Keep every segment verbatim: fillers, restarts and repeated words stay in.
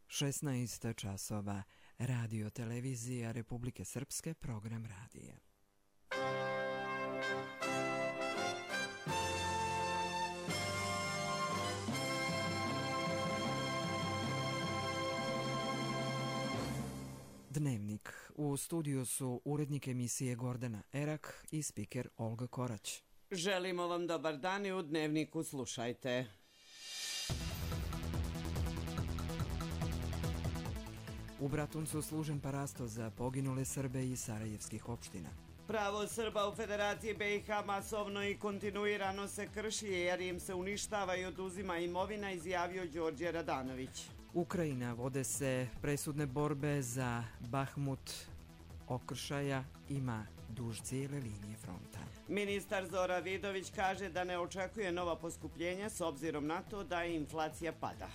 šesnaest časova, Radio Televizija Republike Srpske, program radija. Dnevnik. U studiju su urednik emisije Gordana Erak i spiker Olga Korać. Želimo vam dobar dan i u Dnevniku slušajte. U Bratuncu služen parasto za poginule Srbe iz sarajevskih opština. Pravo Srba u Federaciji B i H masovno i kontinuirano se krši jer im se uništava i oduzima imovina, izjavio Đorđe Radanović. Ukrajina, vode se presudne borbe za Bahmut, okršaja ima duž cijele linije fronta. Ministar Zoran Vidović kaže da ne očekuje nova poskupljenja s obzirom na to da inflacija pada.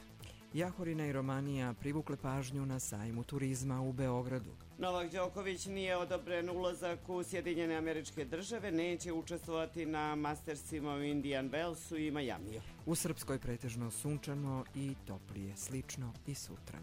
Jahorina i Romanija privukle pažnju na sajmu turizma u Beogradu. Novak Đoković nije odobren ulazak u Sjedinjene Američke Države, neće učestvovati na Mastersima u Indian Wellsu i Majamiju. U Srpskoj pretežno sunčano i toplije, slično i sutra.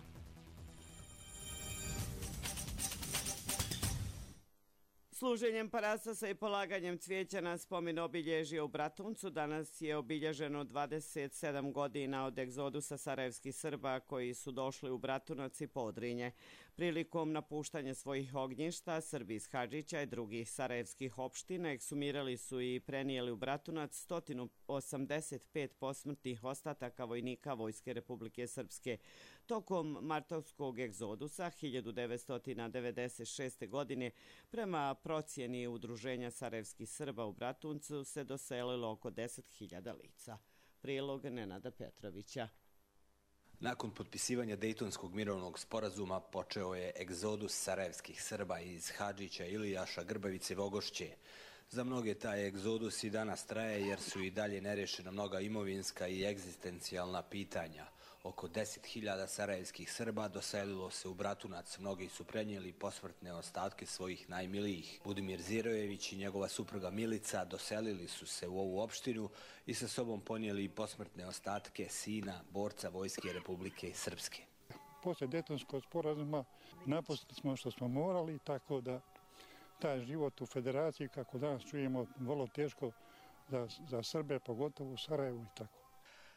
Služenjem parasasa i polaganjem cvijeća na spomen obilježja u Bratuncu danas je obilježeno dvadeset sedam godina od egzodusa sarajevskih Srba koji su došli u Bratunac i Podrinje. Prilikom napuštanja svojih ognjišta, Srbi iz Hadžića i drugih sarajevskih opština eksumirali su i prenijeli u Bratunac sto osamdeset pet posmrtnih ostataka vojnika Vojske Republike Srpske. Tokom martovskog egzodusa hiljadu devetsto devedeset šeste. godine prema procjeni Udruženja sarajevskih Srba u Bratuncu se doselilo oko deset hiljada lica. Prilog Nenada Petrovića. Nakon potpisivanja Dejtonskog mirovnog sporazuma počeo je egzodus sarajevskih Srba iz Hadžića, Ilijaša, Grbavice i Vogošće. Za mnoge taj egzodus i danas traje jer su i dalje nerješena mnoga imovinska i egzistencijalna pitanja. Oko deset hiljada sarajevskih Srba doselilo se u Bratunac, mnogi su prenijeli posmrtne ostatke svojih najmilijih. Budimir Zirojević i njegova supruga Milica doselili su se u ovu opštinu i sa sobom ponijeli posmrtne ostatke sina, borca Vojske Republike Srpske. Posle Dejtonskog sporazuma napustili smo što smo morali, tako da taj život u federaciji, kako danas čujemo, vrlo teško za, za Srbe, pogotovo u Sarajevu i tako.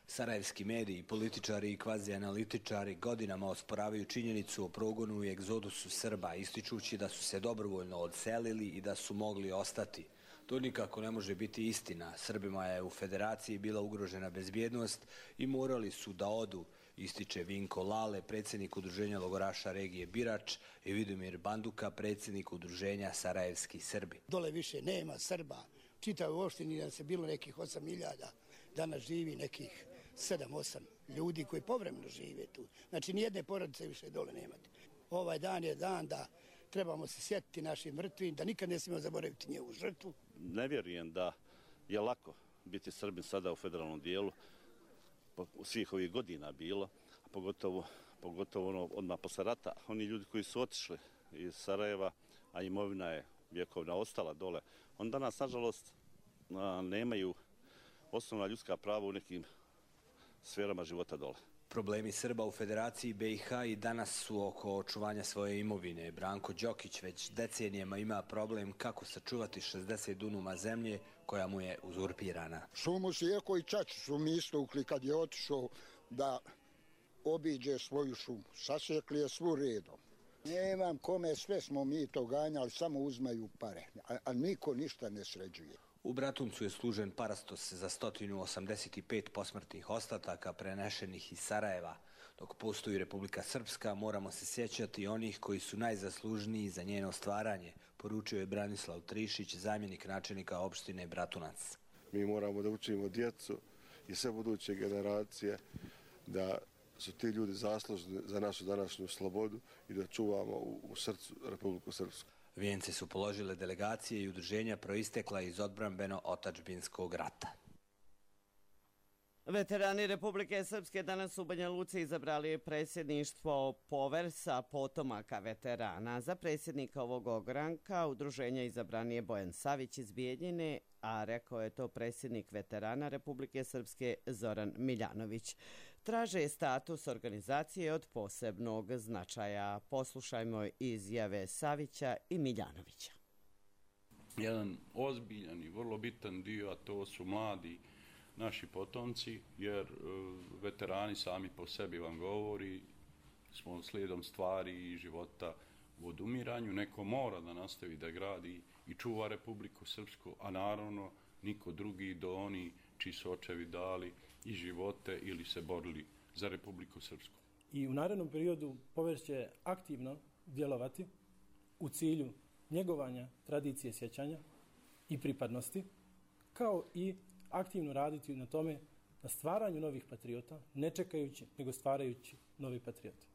Sarajevski mediji, političari i kvazi-analitičari godinama osporavaju činjenicu o progonu i egzodusu Srba, ističući da su se dobrovoljno odselili i da su mogli ostati. To nikako ne može biti istina. Srbima je u federaciji bila ugrožena bezbjednost i morali su da odu, ističe Vinko Lale, predsjednik Udruženja logoraša regije Birač, i Vidomir Banduka, predsjednik Udruženja Sarajevski Srbi. Dole više nema Srba. Čitao u opštini da se bilo nekih osam hiljada, danas živi nekih sedam osam ljudi koji povremeno žive tu. Znači nijedne porodice više dole nemate. Ovaj dan je dan da trebamo se sjetiti našim mrtvim, da nikad ne smijemo zaboraviti njegovu žrtvu. Ne vjerujem da je lako biti Srbin sada u federalnom dijelu, u svih ovih godina bilo, a pogotovo, pogotovo ono, odmah posle rata. Oni ljudi koji su otišli iz Sarajeva, a imovina je vjekovna ostala dole, on danas, nažalost, nemaju osnovna ljudska prava u nekim sferama života dole. Problemi Srba u Federaciji B i H i danas su oko očuvanja svoje imovine. Branko Đokić već decenijama ima problem kako sačuvati šezdeset dunuma zemlje koja mu je uzurpirana. Šumu Sjeko i Čači su mi istukli kad je otišao da obiđe svoju šumu. Sasjekli je svu redom. Nemam kome, sve smo mi to ganjali, samo uzmaju pare, a, a niko ništa ne sređuje. U Bratuncu je služen parastos za sto osamdeset pet posmrtnih ostataka prenešenih iz Sarajeva. Dok postoji Republika Srpska, moramo se sjećati onih koji su najzaslužniji za njeno stvaranje, poručio je Branislav Trišić, zamjenik načelnika opštine Bratunac. Mi moramo da učimo djecu i sve buduće generacije da su ti ljudi zaslužni za našu današnju slobodu i da čuvamo u, u srcu Republiku Srpsku. Vijence su položile delegacije i udruženja proistekla iz odbrambeno-otačbinskog rata. Veterani Republike Srpske danas u Banja Luci izabrali predsjedništvo Poversa potomaka veterana. Za predsjednika ovog ogranka udruženja izabran je Bojan Savić iz Bijeljine, a rekao je to predsjednik veterana Republike Srpske Zoran Miljanović. traže status organizacije od posebnog značaja. Poslušajmo izjave Savića i Miljanovića. Jedan ozbiljan i vrlo bitan dio, a to su mladi naši potomci, jer veterani sami po sebi vam govori, smo slijedom stvari i života u odumiranju. Neko mora da nastavi da gradi i čuva Republiku Srpsku, a naravno niko drugi do oni čiji su očevi dali i živote ili se borili za Republiku Srpsku. I u narednom periodu Povers će aktivno djelovati u cilju njegovanja tradicije sjećanja i pripadnosti, kao i aktivno raditi na tome, na stvaranju novih patriota, ne čekajući, nego stvarajući novi patrioti.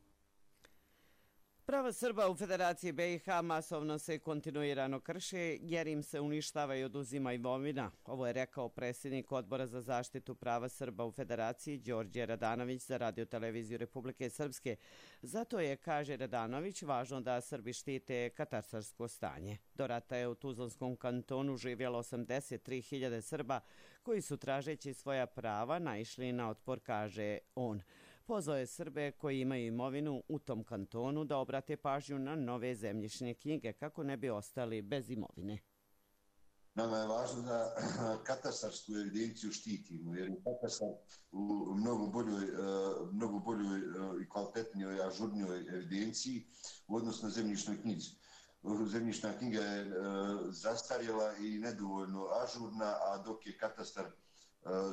Prava Srba u Federaciji be i ha masovno se kontinuirano krše jer im se uništava i oduzima imovina. Ovo je rekao predsjednik Odbora za zaštitu prava Srba u Federaciji Đorđe Radanović za Radio-televiziju Republike Srpske. Zato je, kaže Radanović, važno da Srbi štite katastarsko stanje. Do rata je u Tuzlanskom kantonu živjelo osamdeset tri hiljade Srba koji su tražeći svoja prava naišli na otpor, kaže on. Pozvao je Srbe koji imaju imovinu u tom kantonu da obrate pažnju na nove zemljišne knjige kako ne bi ostali bez imovine. Nama je važno da katastarsku evidenciju štitimo, jer je katastar u mnogo boljoj, mnogo boljoj i kvalitetnijoj, ažurnijoj evidenciji u odnosu na zemljišnoj knjizi. Zemljišna knjiga je zastarjela i nedovoljno ažurna, a dok je katastar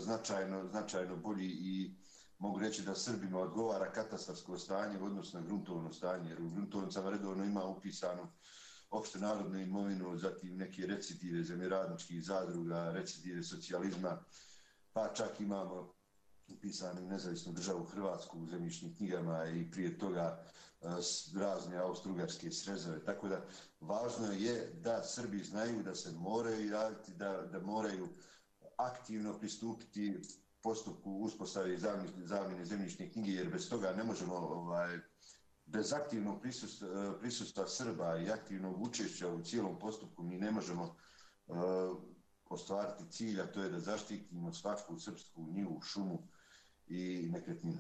značajno, značajno bolji i mogu reći da Srbima odgovara katastarsko stanje u odnosu na gruntovno stanje, jer u gruntovnicama redovno ima upisano opšte narodnu imovinu, zatim neke recidive zemljoradničkih zadruga, recidive socijalizma, pa čak imamo upisanu nezavisnu državu Hrvatsku u zemljišnim knjigama i prije toga razne austrougarske srezave. Tako da važno je da Srbi znaju da se moraju javiti, da, da moraju aktivno pristupiti postupku uspostave zamjene zemljišne knjige, jer bez toga ne možemo, ovaj, bez aktivnog prisustva, prisustva Srba i aktivnog učešća u cijelom postupku mi ne možemo uh, ostvariti cilj, a to je da zaštitimo svaku srpsku njivu, šumu i nekretninu.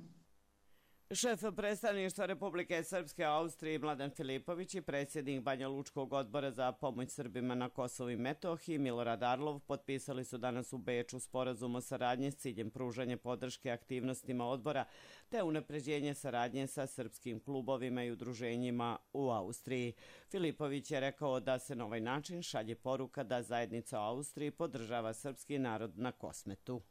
Šef predstavništva Republike Srpske u Austriji Mladen Filipović i predsjednik Banja Lučkog odbora za pomoć Srbima na Kosovu i Metohiji Milorad Arlov potpisali su danas u Beču sporazum o saradnji s ciljem pružanja podrške aktivnostima odbora te unapređenje saradnje sa srpskim klubovima i udruženjima u Austriji. Filipović je rekao da se na ovaj način šalje poruka da zajednica u Austriji podržava srpski narod na Kosmetu.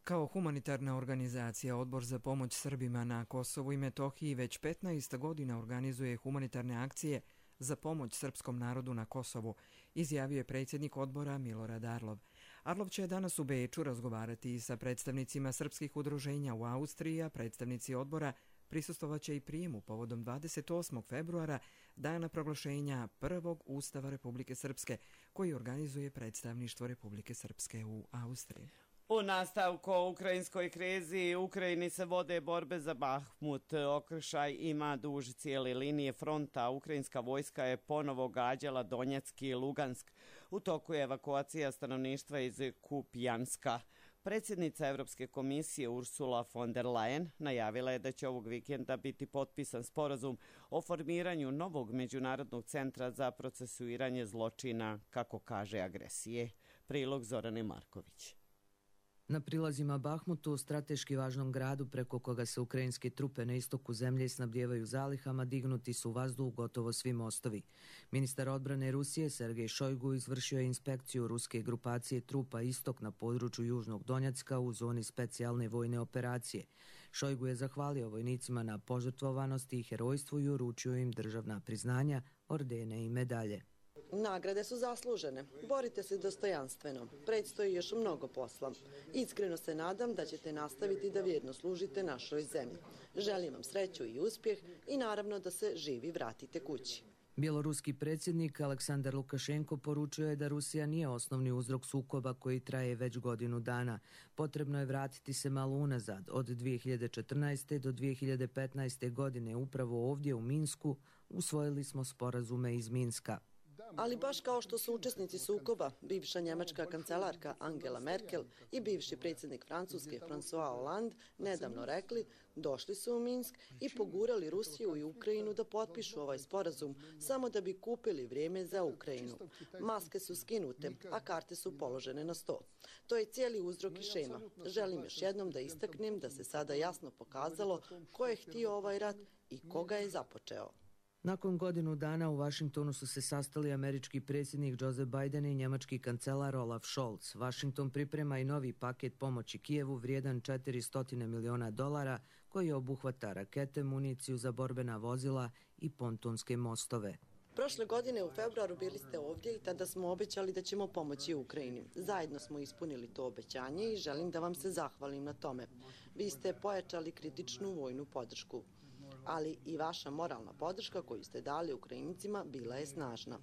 Kao humanitarna organizacija, Odbor za pomoć Srbima na Kosovu i Metohiji već petnaest godina organizuje humanitarne akcije za pomoć srpskom narodu na Kosovu, izjavio je predsjednik odbora Milorad Arlov. Arlov će danas u Beču razgovarati sa predstavnicima srpskih udruženja u Austriji, a predstavnici odbora prisustvovaće i prijemu povodom dvadeset osmog februara, dana proglašenja prvog Ustava Republike Srpske, koji organizuje predstavništvo Republike Srpske u Austriji. U nastavku o ukrajinskoj krizi u Ukrajini se vode borbe za Bahmut. Okršaj ima duž cijele linije fronta. Ukrajinska vojska je ponovo gađala Donjeck i Lugansk. U toku je evakuacija stanovništva iz Kupjanska. Predsjednica Evropske komisije Ursula von der Leyen najavila je da će ovog vikenda biti potpisan sporazum o formiranju novog međunarodnog centra za procesuiranje zločina, kako kaže, agresije. Prilog Zorane Marković. Na prilazima Bahmutu, strateški važnom gradu preko koga se ukrajinske trupe na istoku zemlje snabdijevaju zalihama, dignuti su u vazduh gotovo svi mostovi. Ministar odbrane Rusije Sergej Šojgu izvršio je inspekciju ruske grupacije trupa Istok na području Južnog Donjacka u zoni specijalne vojne operacije. Šojgu je zahvalio vojnicima na požrtvovanosti i herojstvu i uručio im državna priznanja, ordene i medalje. Nagrade su zaslužene. Borite se dostojanstveno. Predstoji još mnogo posla. Iskreno se nadam da ćete nastaviti da vjerno služite našoj zemlji. Želim vam sreću i uspjeh i naravno da se živi vratite kući. Bjeloruski predsjednik Aleksandar Lukašenko poručio je da Rusija nije osnovni uzrok sukoba koji traje već godinu dana. Potrebno je vratiti se malo unazad. Od dvije hiljade četrnaeste. do dvije hiljade petnaeste. godine upravo ovdje u Minsku usvojili smo sporazume iz Minska. Ali baš kao što su učesnici sukoba, bivša njemačka kancelarka Angela Merkel i bivši predsjednik Francuske François Hollande nedavno rekli, došli su u Minsk i pogurali Rusiju i Ukrajinu da potpišu ovaj sporazum samo da bi kupili vrijeme za Ukrajinu. Maske su skinute, a karte su položene na sto. To je cijeli uzrok i šema. Želim još jednom da istaknem da se sada jasno pokazalo ko je htio ovaj rat i ko ga je započeo. Nakon godinu dana u Vašingtonu su se sastali američki predsjednik Joe Biden i njemački kancelar Olaf Scholz. Washington priprema i novi paket pomoći Kijevu vrijedan četiristo miliona dolara koji obuhvata rakete, municiju za borbena vozila i pontonske mostove. Prošle godine u februaru bili ste ovdje i tada smo obećali da ćemo pomoći Ukrajini. Zajedno smo ispunili to obećanje i želim da vam se zahvalim na tome. Vi ste pojačali kritičnu vojnu podršku, ali i vaša moralna podrška koju ste dali Ukrajincima bila je snažna.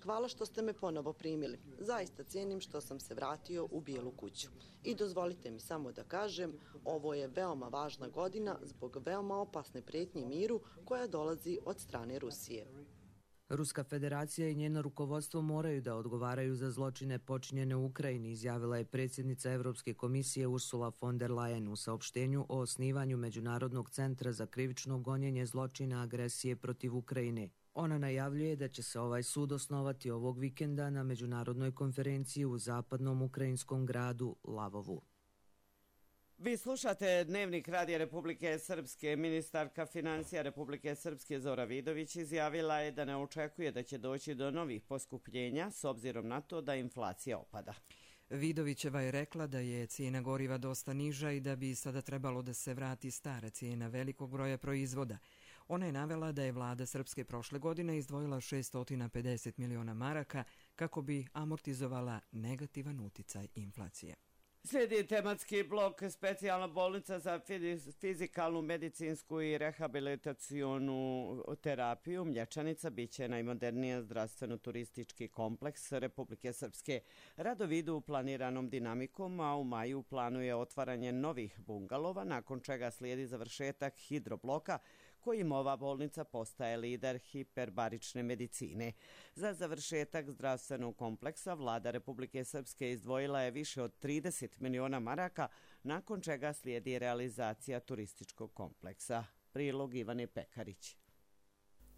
Hvala što ste me ponovo primili. Zaista cijenim što sam se vratio u Bijelu kuću. I dozvolite mi samo da kažem, ovo je veoma važna godina zbog veoma opasne prijetnje miru koja dolazi od strane Rusije. Ruska federacija i njeno rukovodstvo moraju da odgovaraju za zločine počinjene u Ukrajini, izjavila je predsjednica Europske komisije Ursula von der Leyen u saopštenju o osnivanju Međunarodnog centra za krivično gonjenje zločina agresije protiv Ukrajine. Ona najavljuje da će se ovaj sud osnovati ovog vikenda na međunarodnoj konferenciji u zapadnom ukrajinskom gradu Lavovu. Vi slušate Dnevnik Radija Republike Srpske. Ministarka financija Republike Srpske Zora Vidović izjavila je da ne očekuje da će doći do novih poskupljenja s obzirom na to da inflacija opada. Vidovićeva je rekla da je cijena goriva dosta niža i da bi sada trebalo da se vrati stara cijena velikog broja proizvoda. Ona je navela da je vlada Srpske prošle godine izdvojila šesto pedeset miliona maraka kako bi amortizovala negativan uticaj inflacije. Slijedi tematski blok specijalna bolnica za fizikalnu, medicinsku i rehabilitacionu terapiju. Mlječanica biće najmodernija zdravstveno-turistički kompleks Republike Srpske. Radovi idu planiranom dinamikom, a u maju planuje otvaranje novih bungalova, nakon čega slijedi završetak hidrobloka kojim ova bolnica postaje lider hiperbarične medicine. Za završetak zdravstvenog kompleksa vlada Republike Srpske izdvojila je više od trideset miliona maraka, nakon čega slijedi realizacija turističkog kompleksa. Prilog Ivane Pekarić.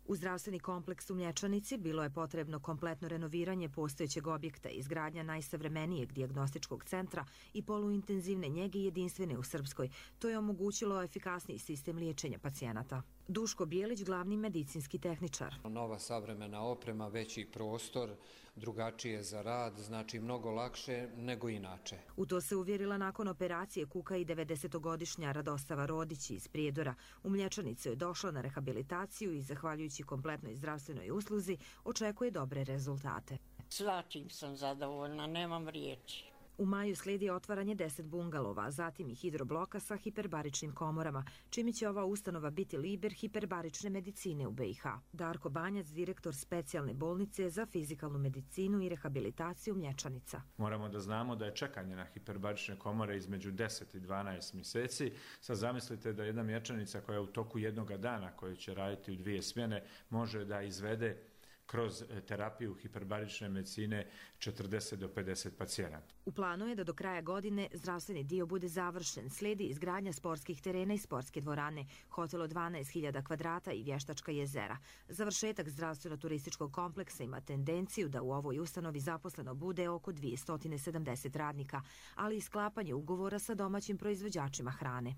U zdravstveni kompleks u Mlječanici bilo je potrebno kompletno renoviranje postojećeg objekta, izgradnja najsavremenijeg dijagnostičkog centra i poluintenzivne njege jedinstvene u Srpskoj. To je omogućilo efikasniji sistem liječenja pacijenata. Duško Bijelić, glavni medicinski tehničar. Nova savremena oprema, veći prostor, drugačije za rad, znači mnogo lakše nego inače. U to se uvjerila nakon operacije kuka i devedesetogodišnja Radostava Rodić iz Prijedora. U Mlječanicu je došla na rehabilitaciju i zahvaljujući kompletnoj zdravstvenoj usluzi očekuje dobre rezultate. Svačim sam zadovoljna, nemam riječi. U maju slijedi otvaranje deset bungalova, zatim i hidrobloka sa hiperbaričnim komorama, čime će ova ustanova biti lider hiperbarične medicine u B i H. Darko Banjac, direktor specijalne bolnice za fizikalnu medicinu i rehabilitaciju Mlječanica. Moramo da znamo da je čekanje na hiperbarične komore između deset i dvanaest mjeseci. Sad zamislite da jedna Mlječanica koja je u toku jednoga dana, koja će raditi u dvije smjene, može da izvede kroz terapiju hiperbarične medicine četrdeset do pedeset pacijenata. U planu je da do kraja godine zdravstveni dio bude završen. Slijedi izgradnja sportskih terena i sportske dvorane, hotel od dvanaest hiljada kvadrata i vještačka jezera. Završetak zdravstveno-turističkog kompleksa ima tendenciju da u ovoj ustanovi zaposleno bude oko dvjesto sedamdeset radnika, ali i sklapanje ugovora sa domaćim proizvođačima hrane.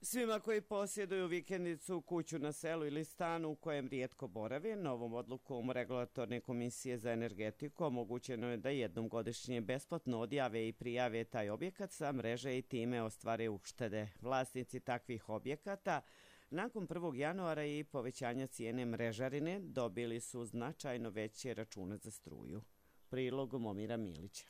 Svima koji posjeduju vikendicu, kuću na selu ili stan u kojem rijetko borave, novom odlukom Regulatorne komisije za energetiku omogućeno je da jednom godišnje besplatno odjave i prijave taj objekat sa mreže i time ostvare uštede. Vlasnici takvih objekata nakon prvog januara i povećanja cijene mrežarine dobili su značajno veće račune za struju. Prilog Momira Milića.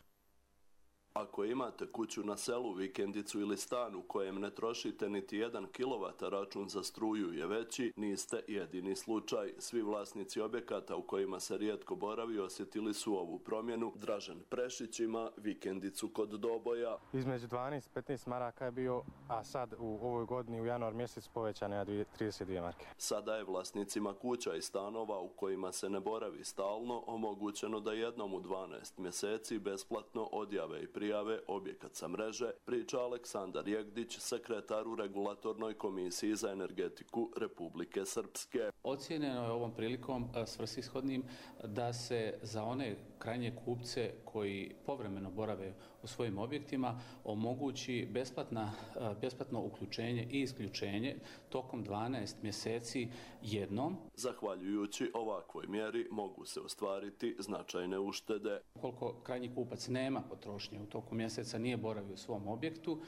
Ako imate kuću na selu, vikendicu ili stan u kojem ne trošite niti jedan kilovat, račun za struju je veći, niste jedini slučaj. Svi vlasnici objekata u kojima se rijetko boravi osjetili su ovu promjenu. Dražen Prešić ima vikendicu kod Doboja. Između dvanaest i petnaest maraka je bio, a sad u ovoj godini u januar mjesec povećane na trideset dvije marke. Sada je vlasnicima kuća i stanova u kojima se ne boravi stalno omogućeno da jednom u dvanaest mjeseci besplatno odjave i prijave objekat sa mreže, priča Aleksandar Jegdić, sekretar u Regulatornoj komisiji za energetiku Republike Srpske. Ocijenjeno je ovom prilikom svrsishodnim da se za one krajnje kupce koji povremeno borave u svojim objektima omogući besplatna, besplatno uključenje i isključenje tokom dvanaest mjeseci jednom. Zahvaljujući ovakvoj mjeri mogu se ostvariti značajne uštede. Ukoliko krajnji kupac nema potrošnje u toku mjeseca, nije boravio u svom objektu,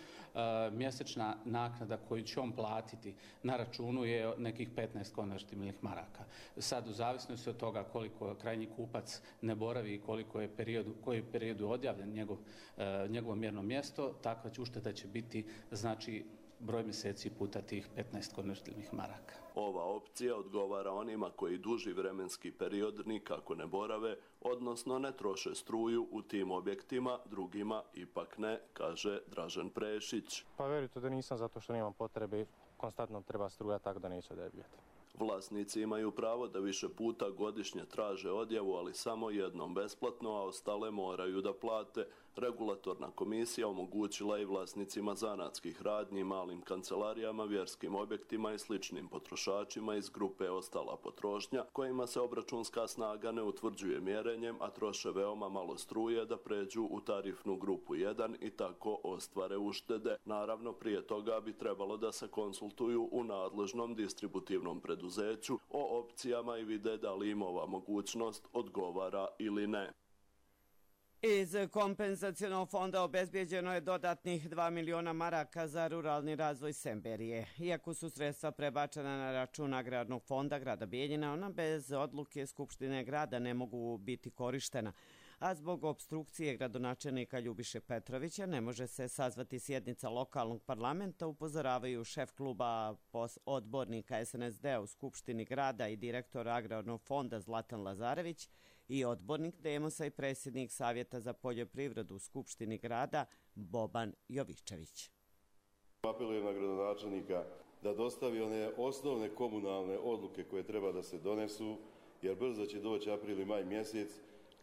mjesečna naknada koju će on platiti na računu je nekih petnaest konvertibilnih maraka. Sad, u zavisnosti od toga koliko krajnji kupac ne boravi i koliko je periodu, koji je periodu odjavljen njegov, njegovo mjerno mjesto, takva će ušteda će biti, znači, broj mjeseci puta tih petnaest konvertibilnih maraka. Ova opcija odgovara onima koji duži vremenski period nikako ne borave, odnosno ne troše struju u tim objektima, drugima ipak ne, kaže Dražen Prešić. Pa verujte da nisam, zato što nemam potrebe, konstantno treba struja, tako da neću odjavljati. Vlasnici imaju pravo da više puta godišnje traže odjavu, ali samo jednom besplatno, a ostale moraju da plate. Regulatorna komisija omogućila i vlasnicima zanatskih radnji, malim kancelarijama, vjerskim objektima i sličnim potrošačima iz grupe ostala potrošnja, kojima se obračunska snaga ne utvrđuje mjerenjem, a troše veoma malo struje, da pređu u tarifnu grupu jedan i tako ostvare uštede. Naravno, prije toga bi trebalo da se konsultuju u nadležnom distributivnom preduzeću o opcijama i vide da li im ova mogućnost odgovara ili ne. Iz kompenzacionog fonda obezbijeđeno je dodatnih dva miliona maraka za ruralni razvoj Semberije. Iako su sredstva prebačena na račun agrarnog fonda grada Bijeljina, ona bez odluke Skupštine grada ne mogu biti korištena, a zbog opstrukcije gradonačelnika Ljubiše Petrovića ne može se sazvati sjednica lokalnog parlamenta, upozoravaju šef kluba odbornika es en es de u Skupštini grada i direktor agrarnog fonda Zlatan Lazarević i odbornik Demosa i predsjednik Savjeta za poljoprivredu u Skupštini grada Boban Jovičević. Apelujem na gradonačelnika da dostavi one osnovne komunalne odluke koje treba da se donesu, jer brzo će doći april i maj mjesec,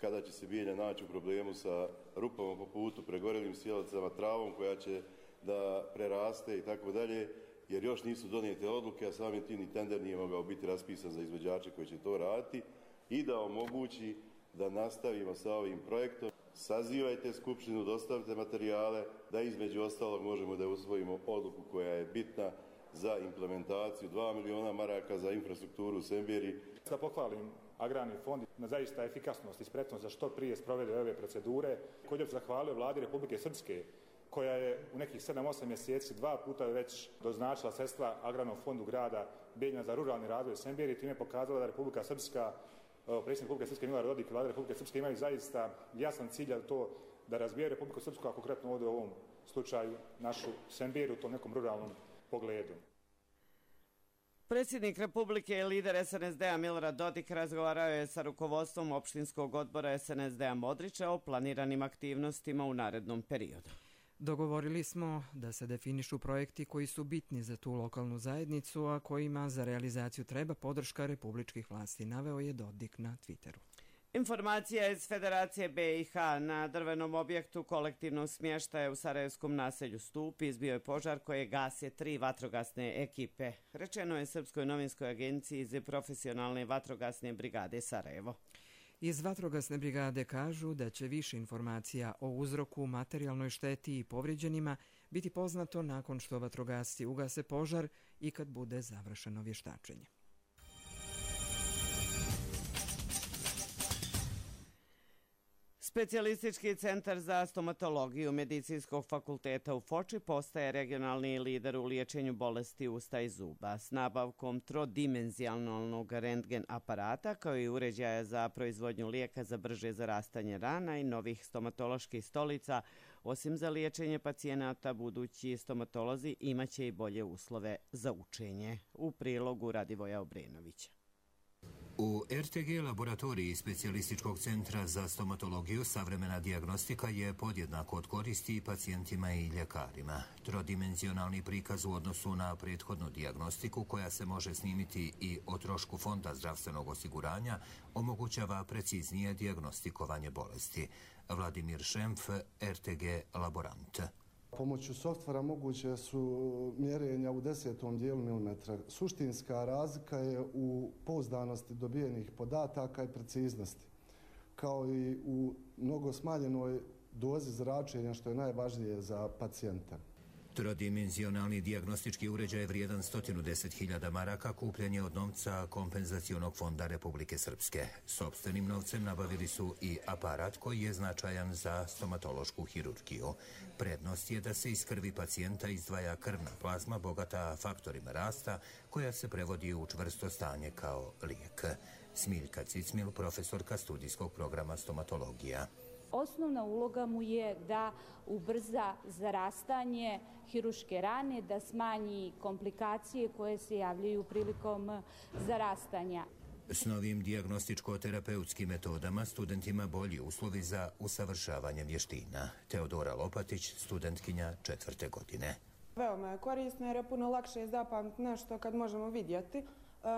kada će se Bijeljina naći u problemu sa rupama po putu, pregorelim sjelicama, travom koja će da preraste i tako dalje, jer još nisu donijete odluke, a samim tim ni tender nije mogao biti raspisan za izvođače koji će to raditi, i da omogući da nastavimo sa ovim projektom. Sazivajte skupštinu, dostavite materijale, da između ostalog možemo da usvojimo odluku koja je bitna za implementaciju dva miliona maraka za infrastrukturu u Semberiji. Da pohvalim agrarni fond na zaista efikasnost i spretnost za što prije sprovede ove procedure. Također zahvalio vladi Republike Srpske, koja je u nekih sedam osam mjeseci dva puta već doznačila sredstva agrarnom fondu grada Bijeljina za ruralni razvoj Semberije, time pokazala da Republika Srpska, predsjednik Republike Srpske Milorad Dodik i vlada Republike Srpske imaju zaista jasan cilj, a to da razvijaju Republiku Srpsku, a konkretno ovdje u ovom slučaju našu Semberiju u tom nekom ruralnom pogledu. Predsjednik Republike i lider es en es de a Milorad Dodik razgovarao je sa rukovodstvom opštinskog odbora es en es de a Modriča o planiranim aktivnostima u narednom periodu. Dogovorili smo da se definišu projekti koji su bitni za tu lokalnu zajednicu, a kojima za realizaciju treba podrška republičkih vlasti, naveo je Dodik na Twitteru. Informacija iz Federacije be i ha: na drvenom objektu kolektivnog smještaja u sarajevskom naselju Stup izbio je požar koje gase tri vatrogasne ekipe. Rečeno je Srpskoj novinskoj agenciji iz profesionalne vatrogasne brigade Sarajevo. Iz vatrogasne brigade kažu da će više informacija o uzroku, materijalnoj šteti i povrijeđenima biti poznato nakon što vatrogasci ugase požar i kad bude završeno vještačenje. Specijalistički centar za stomatologiju Medicinskog fakulteta u Foči postaje regionalni lider u liječenju bolesti usta i zuba s nabavkom trodimenzionalnog rentgen aparata kao i uređaja za proizvodnju lijeka za brže zarastanje rana i novih stomatoloških stolica. Osim za liječenje pacijenata, budući stomatolozi imaće i bolje uslove za učenje. U prilogu Radivoja Obrenovića. U R T G laboratoriji Specijalističkog centra za stomatologiju savremena dijagnostika je podjednako od koristi i pacijentima i ljekarima. Trodimenzionalni prikaz u odnosu na prethodnu dijagnostiku, koja se može snimiti i o trošku Fonda zdravstvenog osiguranja, omogućava preciznije dijagnostikovanje bolesti. Vladimir Šemf, R T G laborant. Pomoću softvera moguće su mjerenja u desetom dijelu milimetra. Suštinska razlika je u pouzdanosti dobijenih podataka i preciznosti, kao i u mnogo smanjenoj dozi zračenja, što je najvažnije za pacijenta. Trodimenzionalni dijagnostički uređaj vrijedan sto deset hiljada maraka kupljen je od novca Kompenzacionog fonda Republike Srpske. Sopstvenim novcem nabavili su i aparat koji je značajan za stomatološku hirurgiju. Prednost je da se iz krvi pacijenta izdvaja krvna plazma bogata faktorima rasta, koja se prevodi u čvrsto stanje kao lijek. Smiljka Cicmil, profesorka studijskog programa stomatologija. Osnovna uloga mu je da ubrza zarastanje hirurške rane, da smanji komplikacije koje se javljaju prilikom zarastanja. S novim dijagnostičko-terapeutskim metodama studentima bolji uslovi za usavršavanje vještina. Teodora Lopatić, studentkinja četvrte godine. Veoma je korisno jer je puno lakše zapamtiti nešto kad možemo vidjeti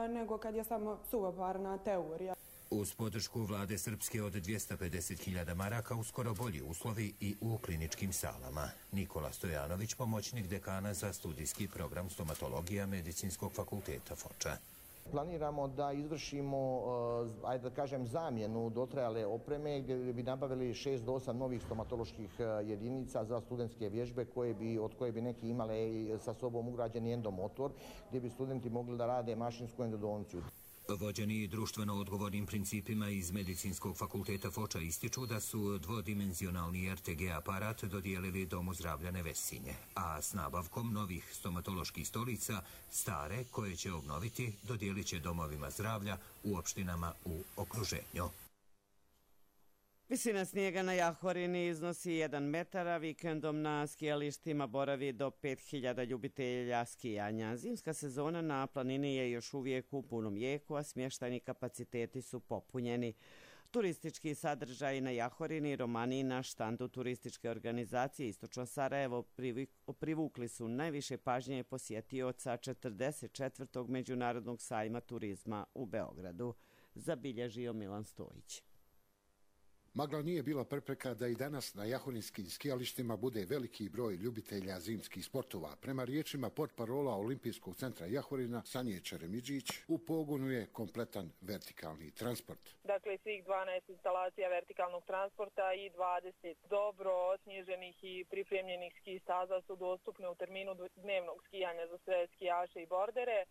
nego kad je samo suvoparna teorija. Uz podršku vlade Srpske od dvjesto pedeset hiljada maraka uskoro bolji uslovi i u kliničkim salama. Nikola Stojanović, pomoćnik dekana za studijski program stomatologija Medicinskog fakulteta Foča. Planiramo da izvršimo, ajde da kažem, zamjenu dotrajale opreme gdje bi nabavili šest do osam novih stomatoloških jedinica za studentske vježbe koje bi, od koje bi neki imale sa sobom ugrađeni endomotor gdje bi studenti mogli da rade mašinsku endodonciju. Vođeni društveno odgovornim principima iz Medicinskog fakulteta Foča ističu da su dvodimenzionalni R T G aparat dodijelili Domu zdravlja Nevesinje, a s nabavkom novih stomatoloških stolica, stare koje će obnoviti, dodijelit će domovima zdravlja u opštinama u okruženju. Visina snijega na Jahorini iznosi jedan metar, a vikendom na skijalištima boravi do pet hiljada ljubitelja skijanja. Zimska sezona na planini je još uvijek u punom jeku, a smještajni kapaciteti su popunjeni. Turistički sadržaj na Jahorini, romani na štandu turističke organizacije Istočno Sarajevo privukli su najviše pažnje posjetioca četrdeset četvrtog Međunarodnog sajma turizma u Beogradu, zabilježio Milan Stojić. Magla nije bila prepreka da i danas na jahorinskim skijalištima bude veliki broj ljubitelja zimskih sportova. Prema riječima portparola Olimpijskog centra Jahorina, Sanje Čeremidžić, u pogonu je kompletan vertikalni transport. Dakle, svih dvanaest instalacija vertikalnog transporta i dvadeset dobro osnježenih i pripremljenih ski staza su dostupne u terminu dnevnog skijanja za sve skijaše i bordere.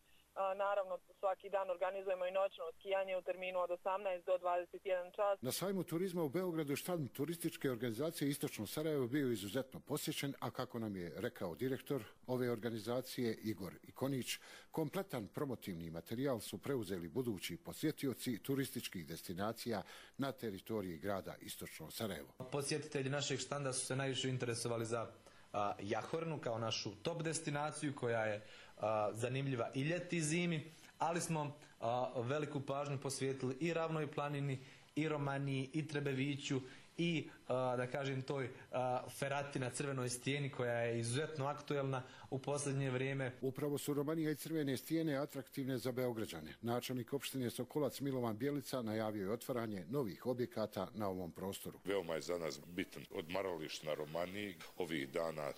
Naravno, svaki dan organizujemo i noćno skijanje u terminu od osamnaest do dvadeset jedan čas. Na sajmu turizma u Beogradu štand turističke organizacije Istočno Sarajevo bio izuzetno posjećen, a kako nam je rekao direktor ove organizacije Igor Ikonić, kompletan promotivni materijal su preuzeli budući posjetioci turističkih destinacija na teritoriji grada Istočno Sarajevo. Posjetitelji našeg štanda su se najviše interesovali za a, Jahornu kao našu top destinaciju koja je a, zanimljiva i ljeti i zimi, ali smo a, veliku pažnju posvetili i Ravnoj planini, i Romaniji, i Trebeviću, i a, da kažem toj a, ferati na Crvenoj stijeni koja je izuzetno aktuelna u posljednje vrijeme. Upravo su Romanija i Crvene stijene atraktivne za Beograđane. Načelnik opštine Sokolac Milovan Bjelica najavio je otvaranje novih objekata na ovom prostoru. Veoma je za nas bitan odmaralište na Romaniji. Ovih dana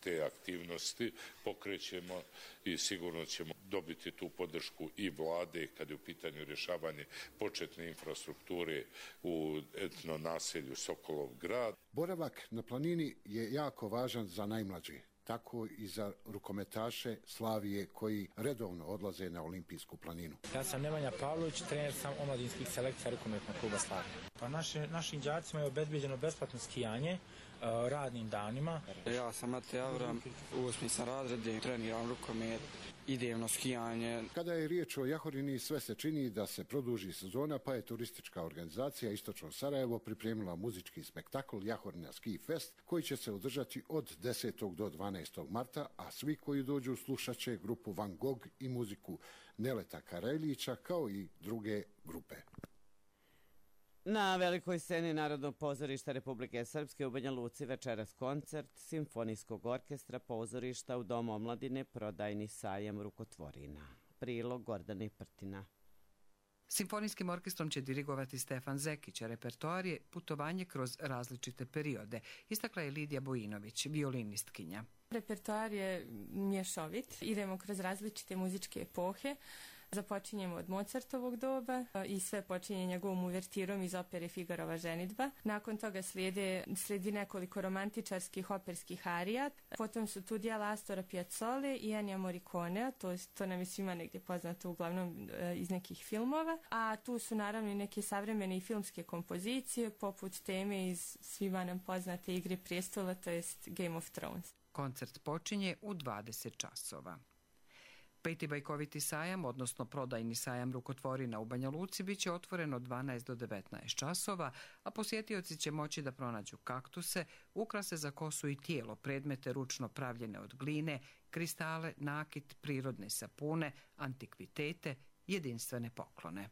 te aktivnosti pokrećemo i sigurno ćemo dobiti tu podršku i vlade kad je u pitanju rješavanje početne infrastrukture u etno naselju Sokolov grad. Boravak na planini je jako važan za najmlađe, tako i za rukometaše Slavije koji redovno odlaze na Olimpijsku planinu. Ja sam Nemanja Pavlović, trener sam omladinskih selekcija rukometnog kluba Slavije. Pa naši, našim đacima je obezbeđeno besplatno skijanje, radnim danima. Ja sam Mate Avram, u osmi sam razredi, treniram rukomet, idem na skijanje. Kada je riječ o Jahorini, sve se čini da se produži sezona, pa je turistička organizacija Istočno Sarajevo pripremila muzički spektakl Jahorina Ski Fest, koji će se održati od desetog do dvanaestog marta, a svi koji dođu slušat će grupu Van Gogh i muziku Neleta Karajlića, kao i druge grupe. Na velikoj sceni Narodnog pozorišta Republike Srpske u Banja Luci večeras koncert Simfonijskog orkestra pozorišta u Domu omladine Prodajni sajam rukotvorina. Prilog Gordane Prtina. Simfonijskim orkestrom će dirigovati Stefan Zekić, a repertoar je putovanje kroz različite periode, istakla je Lidija Bojinović, violinistkinja. Repertoar je mješovit, idemo kroz različite muzičke epohe. Započinjemo od Mozartovog doba i sve počinje njegovom uvertirom iz opere Figarova ženidba. Nakon toga slijede, slijedi nekoliko romantičarskih operskih arija. Potom su tu dijela Astora Piazzole i Ennija Morriconea, to, to nam je svima negdje poznato uglavnom iz nekih filmova. A tu su naravno i neke savremene i filmske kompozicije, poput teme iz svima nam poznate Igre prijestola, to jest Game of Thrones. Koncert počinje u dvadeset časova. Peti bajkoviti sajam, odnosno prodajni sajam rukotvorina u Banja Luci, bit će otvoren od dvanaest do devetnaest časova, a posjetioci će moći da pronađu kaktuse, ukrase za kosu i tijelo, predmete ručno pravljene od gline, kristale, nakit, prirodne sapune, antikvitete, jedinstvene poklone.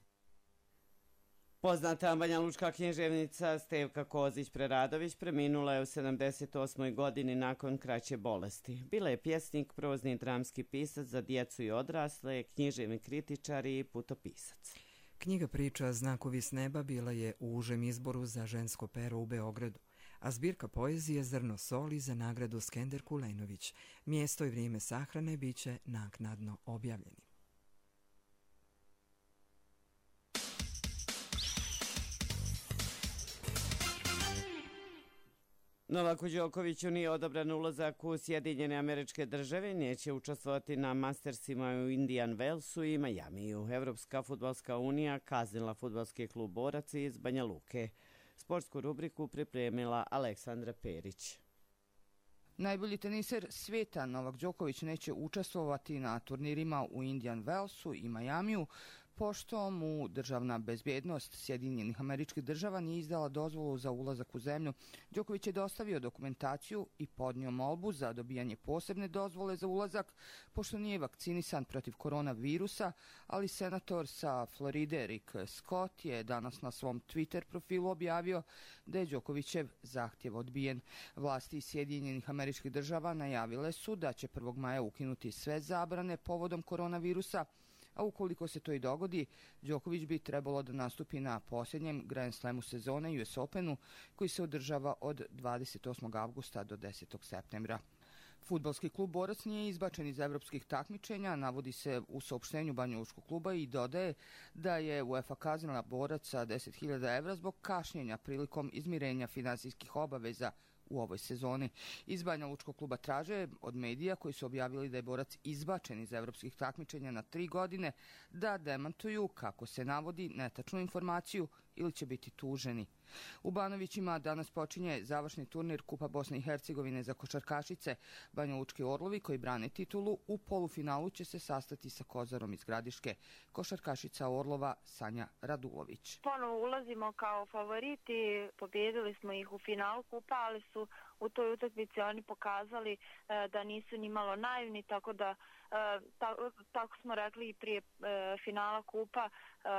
Poznata banjalučka književnica Stevka Kozić-Preradović preminula je u sedamdeset osmoj godini nakon kraće bolesti. Bila je pjesnik, prozni i dramski pisac za djecu i odrasle, književni kritičar i putopisac. Knjiga priča Znakovi s neba bila je u užem izboru za žensko pero u Beogradu, a zbirka poezije Zrno soli za nagradu Skender Kulenović. Mjesto i vrijeme sahrane bit će naknadno objavljeni. Novaku Đokoviću nije odobran ulazak u Sjedinjene Američke Države, neće učestvovati na Mastersima u Indian Wellsu i Majamiju. Evropska fudbalska unija kaznila fudbalski klub Borac iz Banja Luke. Sportsku rubriku pripremila Aleksandra Perić. Najbolji teniser svijeta Novak Đoković neće učestvovati na turnirima u Indian Wellsu i Majamiju, pošto mu državna bezbjednost Sjedinjenih Američkih Država nije izdala dozvolu za ulazak u zemlju. Đoković je dostavio dokumentaciju i podnio molbu za dobijanje posebne dozvole za ulazak, pošto nije vakcinisan protiv koronavirusa, ali senator sa Floride Rick Scott je danas na svom Twitter profilu objavio da je Đokovićev zahtjev odbijen. Vlasti Sjedinjenih Američkih Država najavile su da će prvog maja ukinuti sve zabrane povodom koronavirusa, a ukoliko se to i dogodi, Đoković bi trebalo da nastupi na posljednjem Grand Slamu sezone U S Openu, koji se održava od dvadeset osmog avgusta do desetog septembra. Fudbalski klub Borac nije izbačen iz evropskih takmičenja, navodi se u saopštenju banjalučkog kluba i dodaje da je UEFA kaznila Borac sa deset hiljada evra zbog kašnjenja prilikom izmirenja finansijskih obaveza u ovoj sezoni. Iz banjalučkog kluba traže od medija koji su objavili da je Borac izbačen iz evropskih takmičenja na tri godine da demantuju, kako se navodi, netačnu informaciju ili će biti tuženi. U Banovićima danas počinje završni turnir Kupa Bosne i Hercegovine za košarkašice. Banjalučki Orlovi koji brane titulu u polufinalu će se sastati sa Kozarom iz Gradiške. Košarkašica Orlova Sanja Radulović. Ponovo ulazimo kao favoriti, pobjedili smo ih u finalu Kupa, ali su u toj utakmici oni pokazali e, da nisu ni malo naivni, tako da e, ta, tako smo rekli i prije e, finala Kupa, e,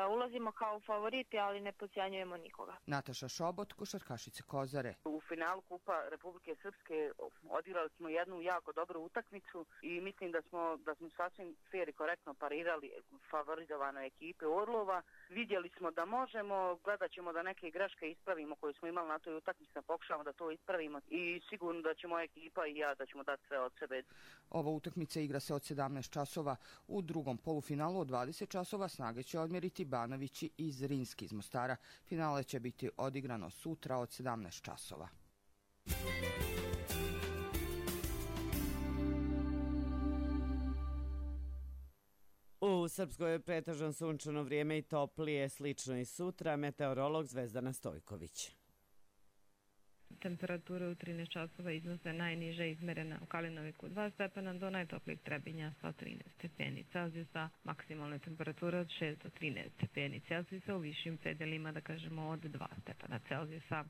ulazimo kao favoriti, ali ne podcjenjujemo nikoga. Nataša Šobot, košarkašica Kozare. U finalu Kupa Republike Srpske odigrali smo jednu jako dobru utakmicu i mislim da smo, da smo sasvim fair i korektno parirali favorizovanoj ekipe Orlova. Vidjeli smo da možemo, gledat ćemo da neke greške ispravimo koje smo imali na toj utakmici, da pokušamo da to ispravimo i sigurno da će moja ekipa i ja da ćemo dati sve od sebe. Ova utakmica igra se od sedamnaest časova. U drugom polufinalu od dvadeset časova snage će odmjeriti Banovići i Zrinski iz Mostara. Finale će biti odigrano sutra od sedamnaest časova. U Srpskoj je pretežno sunčano vrijeme i toplije, slično i sutra, meteorolog Zvezdana Stojković. temperature u trinaest časova iznose najniže izmerena u Kalinoviku dva stepena do najtoplijeg Trebinja sa trinaest stepeni Celzijusa, maksimalne temperature od šest do trinaest stepeni Celzijusa, u višim predelima da kažemo od dva stepena Celzijusa.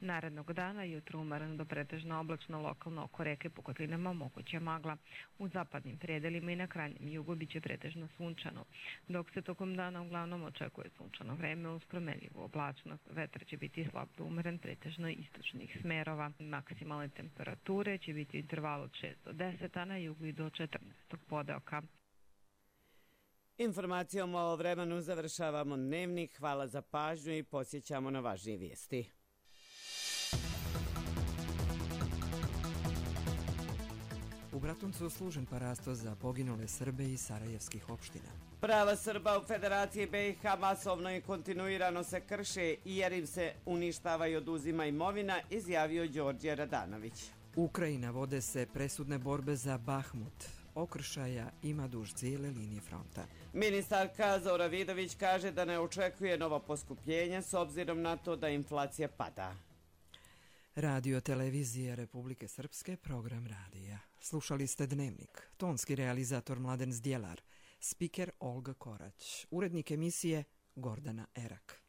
Narednog dana jutro umereno do pretežno oblačno, lokalno oko reke po kotlinama moguća magla. U zapadnim predelima i na krajnjem jugu biće pretežno sunčano, dok se tokom dana uglavnom očekuje sunčano vreme uz promenljivu oblačnost. Vetar će biti slab do umeren, pretežno istočnih smerova. Maksimalne temperature će biti u intervalu od šest do deset, a na jugu i do četrnaestog podeoka. Informacijom o vremenu završavamo dnevnik. Hvala za pažnju i podsjećamo na važnije vijesti. U Bratuncu služen parasto za poginule Srbe iz sarajevskih opština. Prava Srba u Federaciji B i H masovno i kontinuirano se krše jer im se uništava i oduzima imovina, izjavio Đorđe Radanović. Ukrajina vode se presudne borbe za Bahmut. Okršaja ima duž cijele linije fronta. Ministarka Zora Vidović kaže da ne očekuje novo poskupljenje s obzirom na to da inflacija pada. Radio televizije Republike Srpske, program radija. Slušali ste Dnevnik. Tonski realizator Mladen Zdjelar. Spiker Olga Korać. Urednik emisije Gordana Erak.